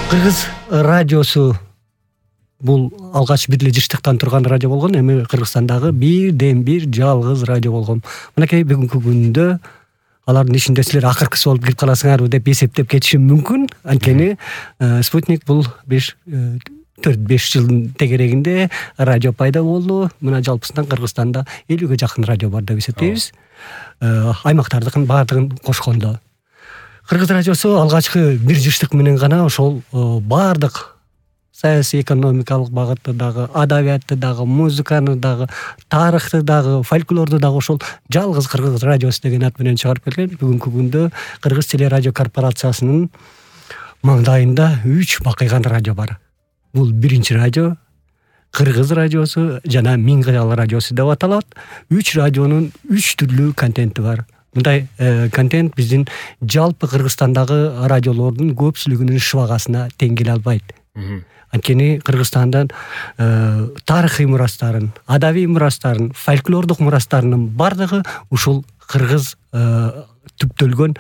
Кыргыз радиосу бул алгач бир эле жыштыктан турган радио болгон, эми Кыргызстандагы бирден бир жалгыз радио болгон. Мынакей бүгүнкү күндө алардын ичинде силер акыркысы болуп кирип каласыңарбы деп эсептеп кетишим мүмкүн. Анткени Спутник бул 4-5 жылдын тегерегинде радио пайда болду. Мына жалпысынан Кыргызстанда 50ге жакын радио бар деп эсептейбиз. Аймактардыкын баардыгын кошкондо. Кыргыз радиосу алгачкы бир жыштык менен гана ошол баардык саясий экономикалык багытты дагы, адабиятты дагы, музыканы дагы, тарыхты дагы, фольклорду дагы ошол жалгыз Кыргыз радиосу деген ат менен чыгарып келген. Бүгүнкү күндө Кыргыз телерадио корпорациясынын маңдайында 3 бакыйган радио бар. Бул биринчи радио, Кыргыз радиосу жана Миң кыял радиосу деп аталат. 3 радионун 3 түрлүү контенти бар. Мындай контент биздин жалпы Кыргызстандагы радиолордун көпчүлүгүнүн шыбагасына тең келе албайт. Анткени Кыргызстандан тарыхый мурастарын, адабий мурастарын, фольклордук мурастарынын бардыгы ушул кыргыз түптөлгөн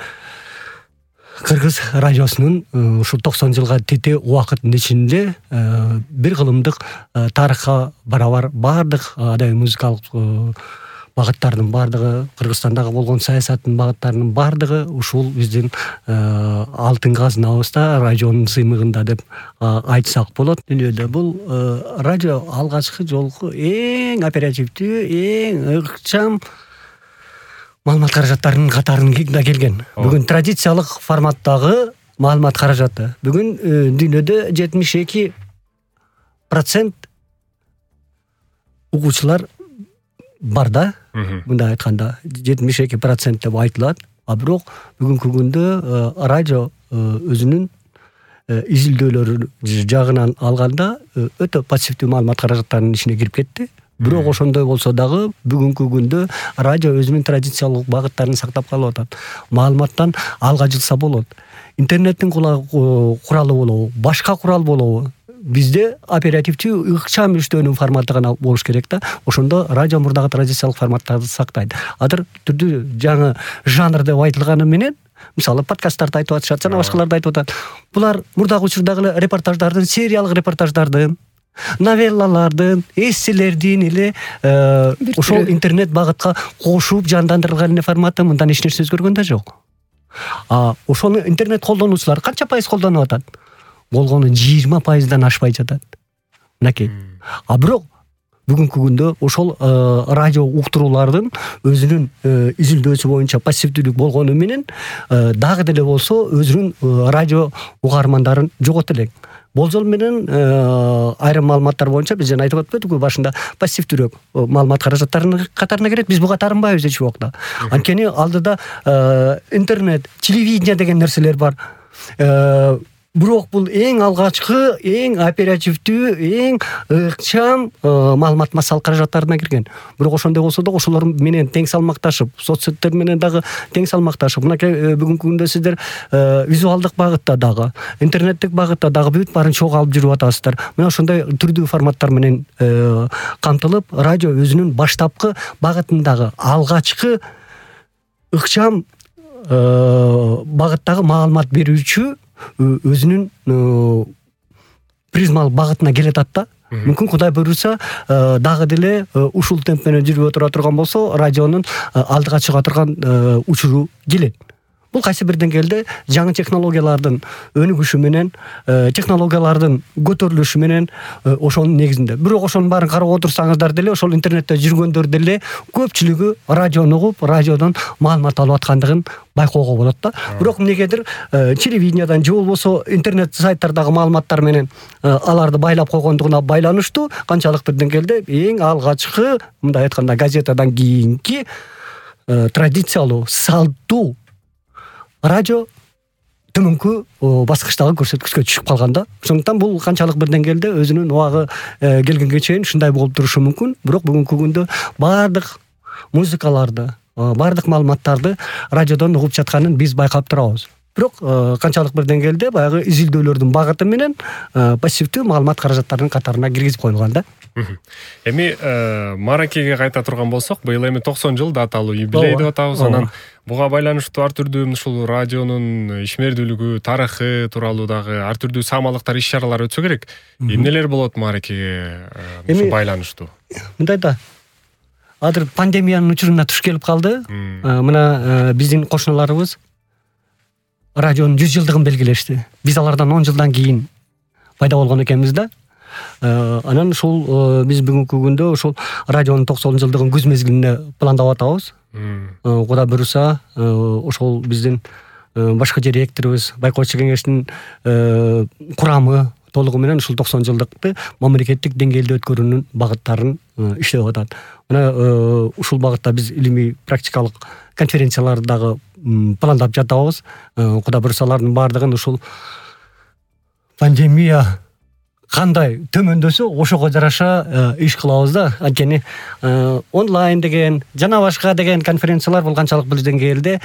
Кыргыз радиосунун ушул 90 жылга тете убакыттын ичинде бир кылымдык тарыхка барабар бардык адабий музыкалык багыттардын бардыгы, Кыргызстандагы болгон саясаттын багыттарынын бардыгы ушул биздин алтын казынабызда, радионун сыймыгында деп айтсак болот. Дүйнөдө бул радио алгачкы жолку эң оперативдүү, эң ыкчам маалымат каражаттарынын катарында келген. Бүгүн традициялык форматтагы маалымат каражаты. Бүгүн дүйнөдө 72% угуучулар бар да. Мындай айтканда 72% деп айтылат. А бирок бүгүнкү күндө радио өзүнүн изилдөөлөрү жагынан алганда өтө пассивдүү маалымат каражаттарынын ичине кирип кетти. Бирок ошондой болсо дагы бүгүнкү күндө радио өзүнүн традициялык багыттарын сактап калып атат. Маалыматтан алга жылса болот. Интернеттин куралы болобу, башка курал болобу, бизде оперативдүү ыкчам иштөөнүн форматы гана болуш керек да. Ошондо радио мурдагы традициялык форматтарды сактайт. Азыр түрдүү жаңы жанр деп айтылганы менен, мисалы подкасттарды айтып атышат, жана башкаларды айтып атат. Булар мурдагы учурдагы репортаждардын, сериялык репортаждардын, новеллалардын, эсселердин эле ошол интернет багытка кошуп жандандырылган эле форматы, мындан эч нерсе өзгөргөн да жок. Ошону интернет колдонуучулар канча пайыз колдонуп атат? Болгону 20%дан ашпай жатат. Мынакей. Бирок бүгүнкү күндө ошол радио уктуруулардын өзүнүн изилдөөсү боюнча пассивдүүлүк болгону менен дагы деле болсо өзүнүн радио угармандарын жогото элек. Болжол менен айрым маалыматтар боюнча биз жана айтып өттүк башында пассивдүүрөөк маалымат каражаттарынын катарына кирет. Биз буга тарынбайбыз эч убакта. Анткени алдыда интернет, телевидение деген нерселер бар. Бирок бул эң алгачкы, эң оперативдүү, эң ыкчам маалымат массалык каражаттарына кирген. Бирок ошондой болсо да ошолор менен тең салмакташып, соцсеттер менен дагы тең салмакташып, мынакей бүгүнкү күндө сиздер визуалдык багытта дагы, интернеттик багытта дагы бүт баарын чогуу алып жүрүп атасыздар. Мына ошондой түрдүү форматтар менен камтылып, радио өзүнүн баштапкы багытындагы алгачкы ыкчам багыттагы маалымат берүүчү өзүнүн призмалык багытына келет да. Мүмкүн Кудай буйруса дагы деле ушул темп менен жүрүп отура турган болсо, радионун алдыга чыга турган учуру келет. Бул кайсы бир деңгээлде жаңы технологиялардын өнүгүшү менен, технологиялардын көтөрүлүшү менен ошонун негизинде. Бирок ошонун баарын карап отурсаңыздар деле, ошол интернетте жүргөндөр деле көпчүлүгү радиону угуп, радиодон маалымат алып аткандыгын байкоого болот да. Бирок эмнегедир телевидениядан же болбосо интернет сайттардагы маалыматтар менен аларды байлап койгондугуна байланыштуу канчалыктыр деңгээлде эң алгачкы, мындай айтканда, газетадан кийинки традициялуу, салттуу радио төмөнкү баскычтагы көрсөткүчкө түшүп калганда. Ошондуктан бул канчалык бир деңгээлде өзүнүн убагы келгенге чейин ушундай болуп турушу мүмкүн. Бирок бүгүнкү күндө баардык музыкаларды, баардык маалыматтарды радиодон угуп жатканын биз байкап турабыз. бирок канчалык бир деңгээлде баягы изилдөөлөрдүн багыты менен пассивдүү маалымат каражаттарынын катарына киргизип коюлган да. Эми Маракеге кайта турган болсок, быйыл эми 90 жыл даталуу юбилей деп атабыз. Анан буга байланыштуу ар түрдүү ушул радионун ишмердүүлүгү, тарыхы тууралуу дагы ар түрдүү саамалыктар, иш-чаралар өтсө керек. Эмнелер болот Маракеге байланыштуу? Мындай да. Азыр пандемиянын учуруна туш келип калды. Мына биздин кошуналарыбыз радионун 100 жылдыгын белгилешти. Биз алардан 10 жылдан кийин пайда болгон экенбиз да. Анан ушул биз бүгүнкү күндө ушул радионун 90 жылдыгын күз мезгилинде пландап атабыз. Кудай буюрса, ошол биздин башкы директорубуз байкоочу кеңештин курамы толугу менен ушул 90 жылдыкты мамлекеттик деңгээлде өткөрүүнүн багыттарын иштеп атат. Мына ушул багытта биз илимий практикалык конференцияларды дагы пландап жатабыз. Кудай буюрса, алардын баардыгын ушул пандемия кандай төмөндөсө ошого жараша иш кылабыз да. Анткени онлайн деген жана башка деген конференциялар бул канчалык бир деңгээлде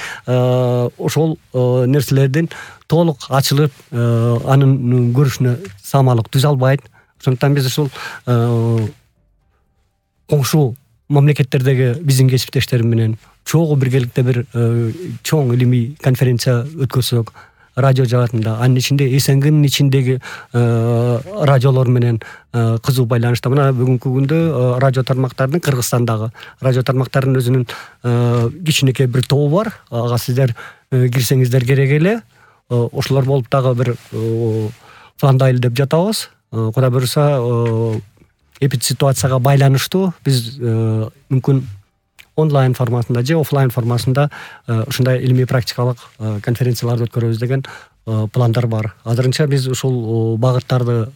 ошол нерселердин толук ачылып анын көрүшүнө саамалык түзө албайт. Ошондуктан биз ушул коңшу мамлекеттердеги биздин кесиптештерим менен чогуу биргеликте бир чоң илимий конференция өткөрсөк, радио жаатында, анын ичинде СНГнын ичиндеги радиолор менен кызуу байланышта. Мына бүгүнкү күндө радио тармактардын Кыргызстандагы радио тармактарынын өзүнүн кичинекей бир тобу бар. Ага сиздер кирсеңиздер керек эле. Ошолор болуп дагы бир пландайлы деп жатабыз. Кудай буюрса, эпидситуацияга байланыштуу биз мүмкүн онлайн форматында же офлайн формасында ушундай илимий практикалык конференцияларды өткөрөбүз деген пландар бар. Азырынча биз ушул багыттарды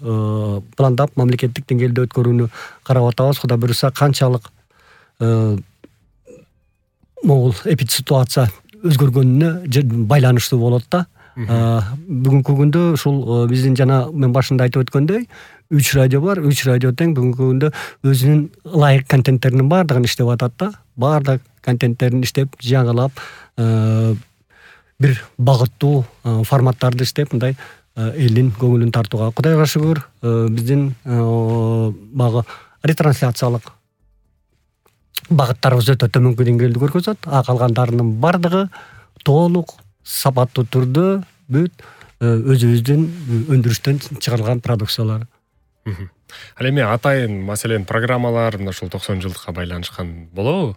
пландап мамлекеттик деңгээлде өткөрүүнү карап атабыз. Кудай буюрса, канчалык могул эпидситуация өзгөргөнүнө байланыштуу болот да. Бүгүнкү күндө ушул биздин жана мен башында айтып өткөндөй 3 радио бар. 3 радио тең бүгүнкү күндө өзүнүн ылайык контенттеринин баардыгын иштеп атат да. Баардык контенттерин иштеп, жаңылап, бир багыттуу форматтарды иштеп, мындай элдин көңүлүн тартууга. Кудайга шүгүр, биздин багы ретрансляциялык багыттарыбыз өтө төмөнкү деңгээлде көргөзөт. Калгандарынын баардыгы толук сапаттуу түрдө бүт өзүбүздүн өндүрүштөн чыгарылган продукциялар. Ал эми атайын маселен программалар мына ушул 90 жылдыкка байланышкан болобу?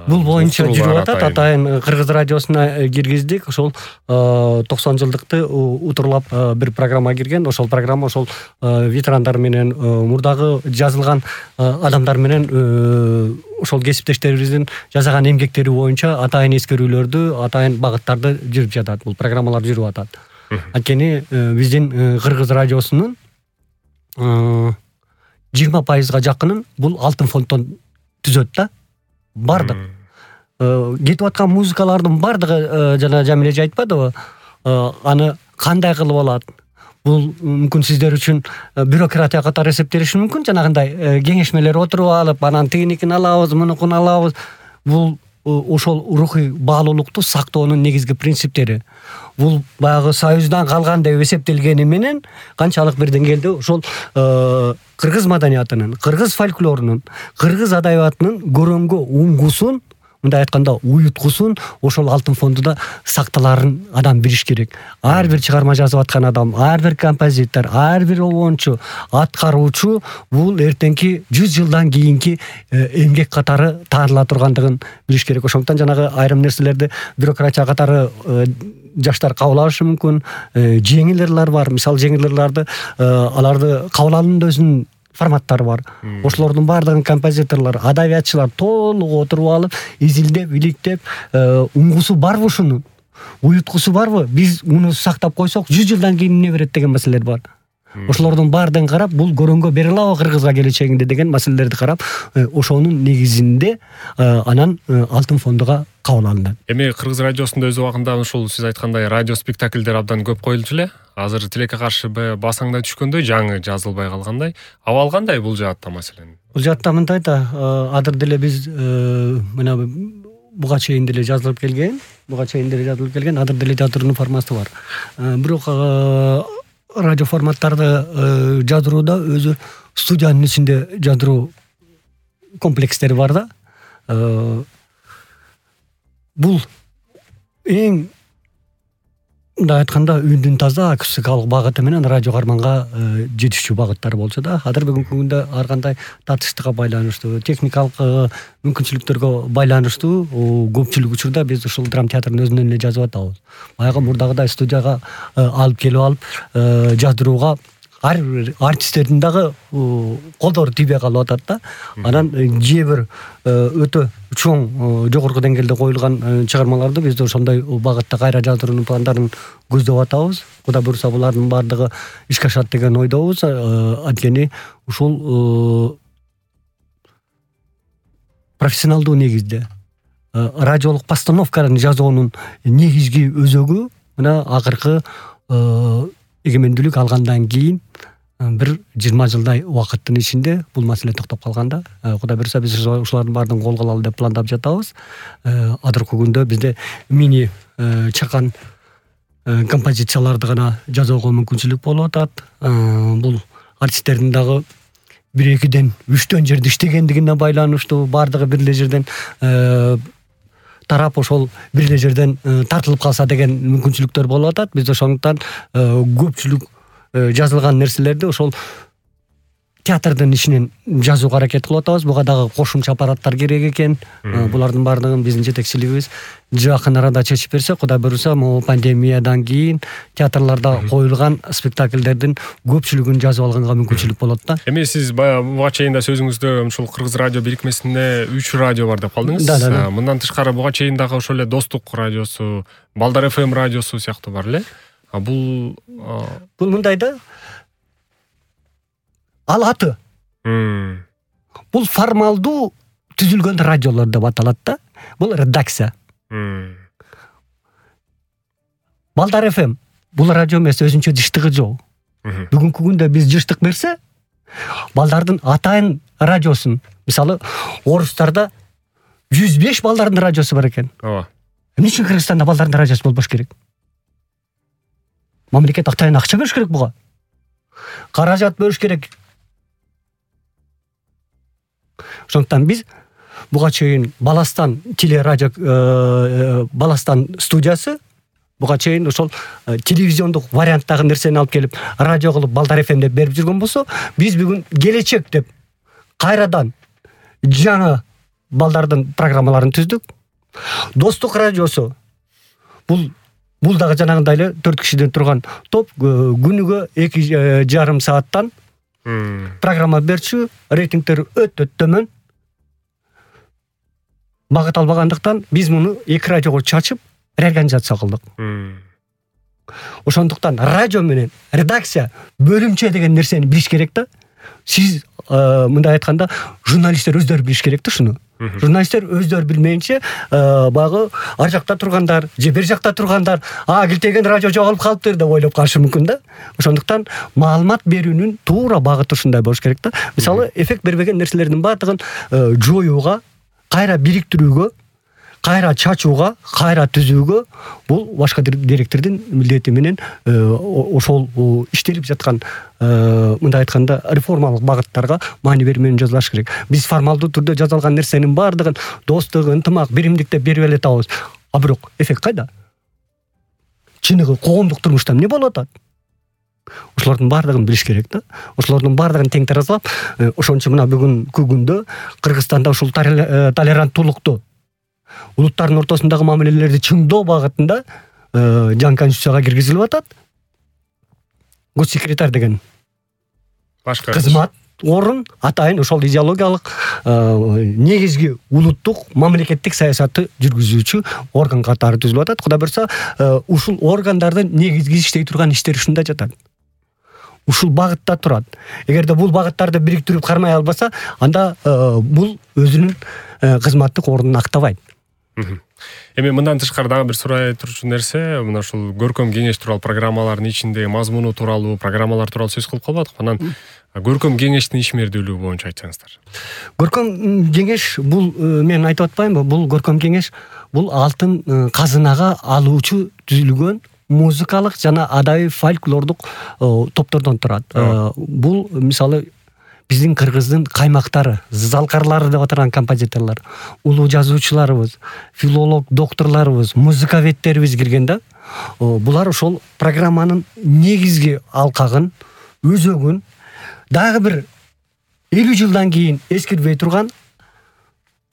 Бул боюнча жүрүп атат. Атайын Кыргыз радиосуна киргиздик. Ошол 90 жылдыкты утурлап бир программа кирген. Ошол программа ошол ветерандар менен, мурдагы жазылган адамдар менен ошол кесиптештерибиздин жасаган эмгектери боюнча атайын эскерүүлөрдү, атайын багыттарды жүрүп жатат. Бул программалар жүрүп атат. Анткени биздин Кыргыз радиосунун 20% жакынын бул алтын фонддон түзөт да. Бардык кетип аткан музыкалардын бардыгы жана Жамиле айтпадыбы? Аны кандай кылып алат? Бул мүмкүн сиздер үчүн бюрократия катары эсептелиши мүмкүн. Жанагындай кеңешмелер отуруп алып, анан тигиникин алабыз, мунукун алабыз. Бул ошол рухий баалуулукту сактоонун негизги принциптери. Бул баягы Союздан калган деп эсептелгени менен канчалык бир деңгээлде ошол кыргыз маданиятынын, кыргыз фольклорунун, кыргыз адабиятынын көрөмгө уңгусун, мындай айтканда уюткусун ошол алтын фондуда сакталарын адам билиш керек. Ар бир чыгарма жазып аткан адам, ар бир композитор, ар бир обончу, аткаруучу бул эртеңки 100 жылдан кийинки эмгек катары тааныла тургандыгын билиш керек. Ошондуктан жанагы айрым нерселерди бюрократия катары жаштар кабыл алышы мүмкүн. Жеңилерлер бар. Мисалы жеңилерлерди аларды кабыл алуунун өзүнүн форматтары бар. Ошолордун баардыгын композиторлор, адабиятчылар толук отуруп алып, изилдеп, иликтеп, уңгусу барбы ушунун? Уюткусу барбы? Биз муну сактап койсок 100 жылдан кийин эмне берет деген маселелер бар. Ошолордун баардыгын карап, бул көрөнгө бере алабы Кыргызга келечегинде деген маселелерди карап, ошонун негизинде анан алтын фондуга кабыл алынат. Эми Кыргыз радиосунда өз убагында ушул сиз айткандай радио спектакльдер абдан көп коюлчу эле. Азыр тилекке каршы басаңда түшкөндөй, жаңы жазылбай калгандай. Абал кандай бул жаатта маселен? Бул жаатта мындай да, азыр деле биз мына буга чейин деле жазылып келген, азыр деле жазуунун форматы бар. Бирок радио форматтарды жазууда өзү студиянын ичинде жазуу комплекстери бар да. Бул эң мындай айтканда үндүн таза акустикалык багыты менен радио карманга жетишүү багыттары болчу да. Азыр бүгүнкү күндө ар кандай татыштыкка байланыштуу, техникалык мүмкүнчүлүктөргө байланыштуу көпчүлүк учурда биз ушул драма театрдын өзүнөн эле жазып атабыз. Баягы мурдагыдай студияга алып келип жаздырууга ар бир артисттердин дагы колдору тийбей калып атат да. Анан же бир өтө чоң жогорку деңгээлде коюлган чыгармаларды биз ошондой багытта кайра жаздыруунун пландарын көздөп атабыз. Кудай буйруса булардын баардыгы ишке ашат деген ойдобуз. Анткени ушул профессионалдуу негизде радиолук постановканы жазуунун негизги өзөгү мына акыркы эгемендүүлүк алгандан кийин бир 20 жылдай убакыттын ичинде бул маселе токтоп калган да. Кудай буйруса биз ушулардын баардыгын колго алалы деп пландап жатабыз. Азыркы күндө бизде мини чакан композицияларды гана жазууга мүмкүнчүлүк болуп атат. Бул артисттердин дагы 1-2ден 3төн жерде иштегендигине байланыштуу, баардыгы бир эле жерден тарап ошол бир эле жерден тартылып калса деген мүмкүнчүлүктөр болуп атат. Биз ошондуктан көпчүлүк жазылган нерселерди ошол театрдын ичинен жазууга аракет кылып атабыз. Буга дагы кошумча аппараттар керек экен. Булардын баардыгын биздин жетекчилигибиз жакын арада чечип берсе, Кудай буйруса, могу пандемиядан кийин театрларда коюлган спектакльдердин көпчүлүгүн жазып алганга мүмкүнчүлүк болот да. Эми сиз буга чейин да сөзүңүздө ушул Кыргыз радио бирикмесинде 3 радио бар деп калдыңыз. Мындан тышкары буга чейин дагы ошол эле Достук радиосу, Балдар FM радиосу сыяктуу бар эле. Бул мындай да. Ал аты. Бул формалдуу түзүлгөн радиолор деп аталат да. Бул редакция. Балдар FM бул радио эмес, өзүнчө жыштыгы жок. Бүгүнкү күндө биз жыштык берсе, балдардын атайын радиосун, мисалы, орустарда 105 балдардын радиосу бар экен. Ооба. Эмне үчүн Кыргызстанда балдардын радиосу болбош керек? Мамлекет атайын акча бериш керек буга. Каражат бериш керек. Ошондуктан биз буга чейин Баластан телерадио, Баластан студиясы буга чейин ошол телевизиондук варианттагы нерсени алып келип радио кылып Балдар FM деп берип жүргөн болсо, биз бүгүн келечек деп кайрадан жаңы балдардын программаларын түздүк. Достук радиосу бул дагы жанагындай эле 4 кишиден турган топ, күнүгө 2,5 сааттан программа берчү, рейтингтер өтө төмөн. Багыт албагандыктан биз муну 2 радиого чачып реорганизация кылдык. Ошондуктан радио менен редакция, бөлүмчө деген нерсени билиш керек да. Сиз мындай айтканда журналисттер өздөрү билиш керек да шуну. Журналисттер өздөрү билмейинче багы ар жакта тургандар, же бер жакта тургандар, килтеген радио жоголуп калыптыр деп ойлоп калышы мүмкүн да. Ошондуктан маалымат берүүнүн туура багыты ушундай болуш керек да. Мисалы, эффект бербеген нерселердин баардыгын жоюуга, кайра бириктирүүгө, кайра чачууга, кайра түзүүгө бул башка директордун милдети менен ошол иштелип жаткан мындай айтканда реформалык багыттарга маани берүү менен жазылыш керек. Биз формалдуу түрдө жазылган нерсенин баардыгын достук, ынтымак, биримдик деп берип эле атабыз. Бирок эффект кайда? Чыныгы коомдук турмушта эмне болуп атат? Ошолордун баардыгын билиш керек да. Ошолордун баардыгын тең таразалап, ошончо мына бүгүнкү күндө Кыргызстанда ушул толеранттуулукту, улуттардын ортосундагы мамилелерди чыңдоо багытында жаңы конституцияга киргизилип атат. Госсекретарь деген башка кызмат орун атайын ошол идеологиялык негизги улуттук мамлекеттик саясатты жүргүзүүчү орган катары түзүлүп атат. Кудай буйруса, ушул органдардын негизги иштей турган иштери ушунда жатат. Ушул багытта турат. Эгерде бул багыттарды бириктирип кармай албаса, анда бул өзүнүн кызматтык ордун актабайт. Эми мындан тышкары дагы бир сурай турчу нерсе, мына ушул көркөм кеңеш тууралуу программалардын ичиндеги мазмуну тууралуу, программалар тууралуу сөз кылып калбадыкпы? Анан көркөм кеңештин ишмердүүлүгү боюнча айтсаңыздар. Көркөм кеңеш бул мен айтып атпаймынбы? Бул көркөм кеңеш бул алтын казынага алуучу түзүлгөн музыкалык жана адабий фольклордук топтордон турат. Бул мисалы биздин кыргыздын каймактары, залкарлары деп аталган композиторлор, улуу жазуучуларыбыз, филолог докторлорубуз, музыковедтерибиз кирген да. Булар ошол программанын негизги алкагын, өзөгүн дагы бир 50 жылдан кийин эскирбей турган,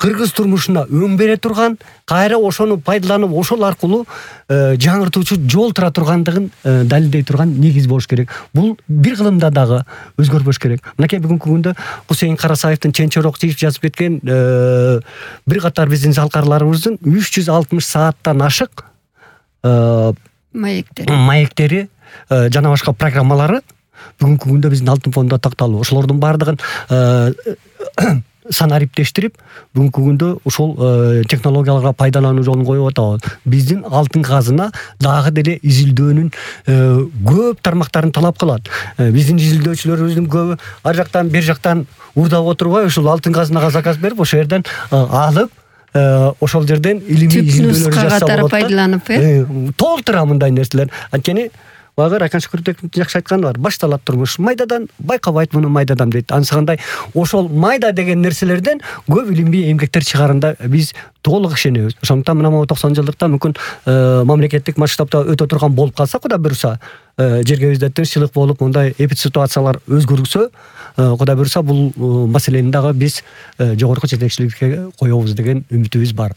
кыргыз турмушуна өң бере турган, кайра ошону пайдаланып, ошол аркылуу жаңыртуучу жол тура тургандыгын далилдей турган негиз болуш керек. Бул бир кылымда дагы өзгөрбөш керек. Мынакей бүгүнкү күндө Кусейин Карасаевдин Ченчорок чыгып жазып кеткен бир катар биздин залкарларыбыздын 360 сааттан ашык маектери жана башка программалары бүгүнкү күндө биздин алтын фонддо такталуу. Ошолордун баардыгын санариптештирип, бүгүнкү күндө ушул технологияларга пайдалануу жолун коюп атабыз. Биздин алтын казына дагы деле изилдөөнүн көп тармактарын талап кылат. Биздин изилдөөчүлөрүбүздүн көбү ар жактан бер жактан урдап отурбай, ушул алтын казынага заказ берип, ошол жерден алып, ошол жерден илимий изилдөөлөр жасап пайдаланып, толтура мындай нерселер. Анткени Багыр Айкан Шүкүрбековдун жакшы айтканы бар. Башталат турмуш майдадан, байкабайт муну майдадан дейт. Ансагандай ошол майда деген нерселерден көп илимий эмгектер чыгарында биз толук ишенебиз. Ошондуктан мына 90 жылдыкта мүмкүн мамлекеттик масштабта өтө турган болуп калса, Кудай буюрса, жергебизде тынччылык болуп, мындай эпид ситуациялар өзгөрүлсө, Кудай буюрса, бул маселени дагы биз жогорку жетекчиликке коебуз деген үмүтүбүз бар.